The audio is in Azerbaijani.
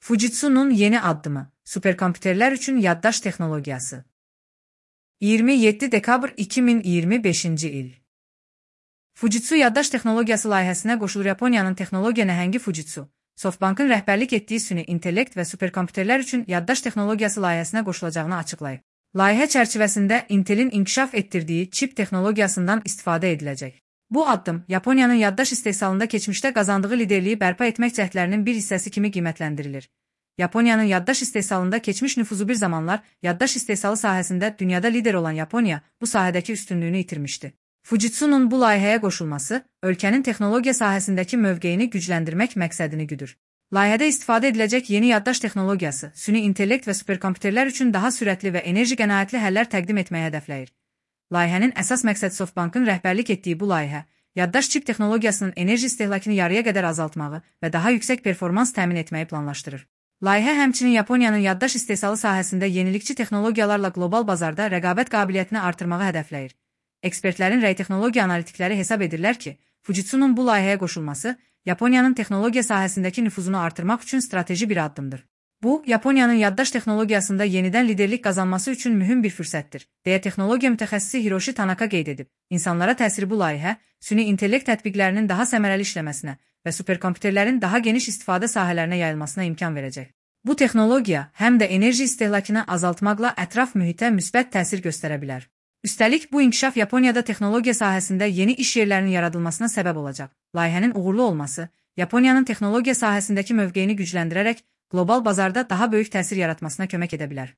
Fujitsu'nun yeni addımı, süperkompüterler üçün yaddaş texnologiyası. 27 dekabr 2025-ci il. Fujitsu yaddaş texnologiyası layihəsinə qoşulur. Yaponiyanın texnologiya nəhəngi Fujitsu, SoftBankın rəhbərlik etdiyi süni intellekt və süperkompüterlər üçün yaddaş texnologiyası layihəsinə qoşulacağını açıqlayıb. Layihə çərçivəsində Intelin inkişaf etdirdiyi çip texnologiyasından istifadə ediləcək. Bu addım Yaponiyanın yaddaş istehsalında keçmişdə qazandığı liderliyi bərpa etmək cəhdlərinin bir hissəsi kimi qiymətləndirilir. Yaponiyanın yaddaş istehsalında keçmiş nüfuzu bir zamanlar yaddaş istehsalı sahəsində dünyada lider olan Yaponiya bu sahədəki üstünlüyünü itirmişdi. Fujitsu'nun bu layihəyə qoşulması ölkənin texnologiya sahəsindəki mövqeyini gücləndirmək məqsədini güdür. Layihədə istifadə ediləcək yeni yaddaş texnologiyası, süni intellekt və superkompüterlər üçün daha sürətli və enerji qənaətli həllər təqdim etməyə hədəfləyir. Layihənin əsas məqsədi SoftBankın rəhbərlik etdiyi bu layihə, yaddaş çip texnologiyasının enerji istehlakını yarıya qədər azaltmağı və daha yüksək performans təmin etməyi planlaşdırır. Layihə həmçinin Yaponiyanın yaddaş istehsalı sahəsində yenilikçi texnologiyalarla qlobal bazarda rəqabət qabiliyyətini artırmağı hədəfləyir. Ekspertlərin rəy texnologiya analitikləri hesab edirlər ki, Fujitsu'nun bu layihəyə qoşulması Yaponiyanın texnologiya sahəsindəki nüfuzunu artırmaq üçün strateji bir addımdır. Bu, Yaponiyanın yaddaş texnologiyasında yenidən liderlik qazanması üçün mühüm bir fürsətdir, deyə texnologiya mütəxəssisi Hiroshi Tanaka qeyd edib. İnsanlara təsiri bu layihə, süni intellekt tətbiqlərinin daha səmərəli işləməsinə və superkompüterlərin daha geniş istifadə sahələrinə yayılmasına imkan verəcək. Bu texnologiya həm də enerji istehlakını azaltmaqla ətraf mühitə müsbət təsir göstərə bilər. Üstəlik, bu inkişaf Yaponiyada texnologiya sahəsində yeni iş yerlərinin yaradılmasına səbəb olacaq. Layihənin uğurlu olması, Yaponiyanın texnologiya sahəsindəki mövqeyini gücləndirərək qlobal bazarda daha böyük təsir yaratmasına kömək edə bilər.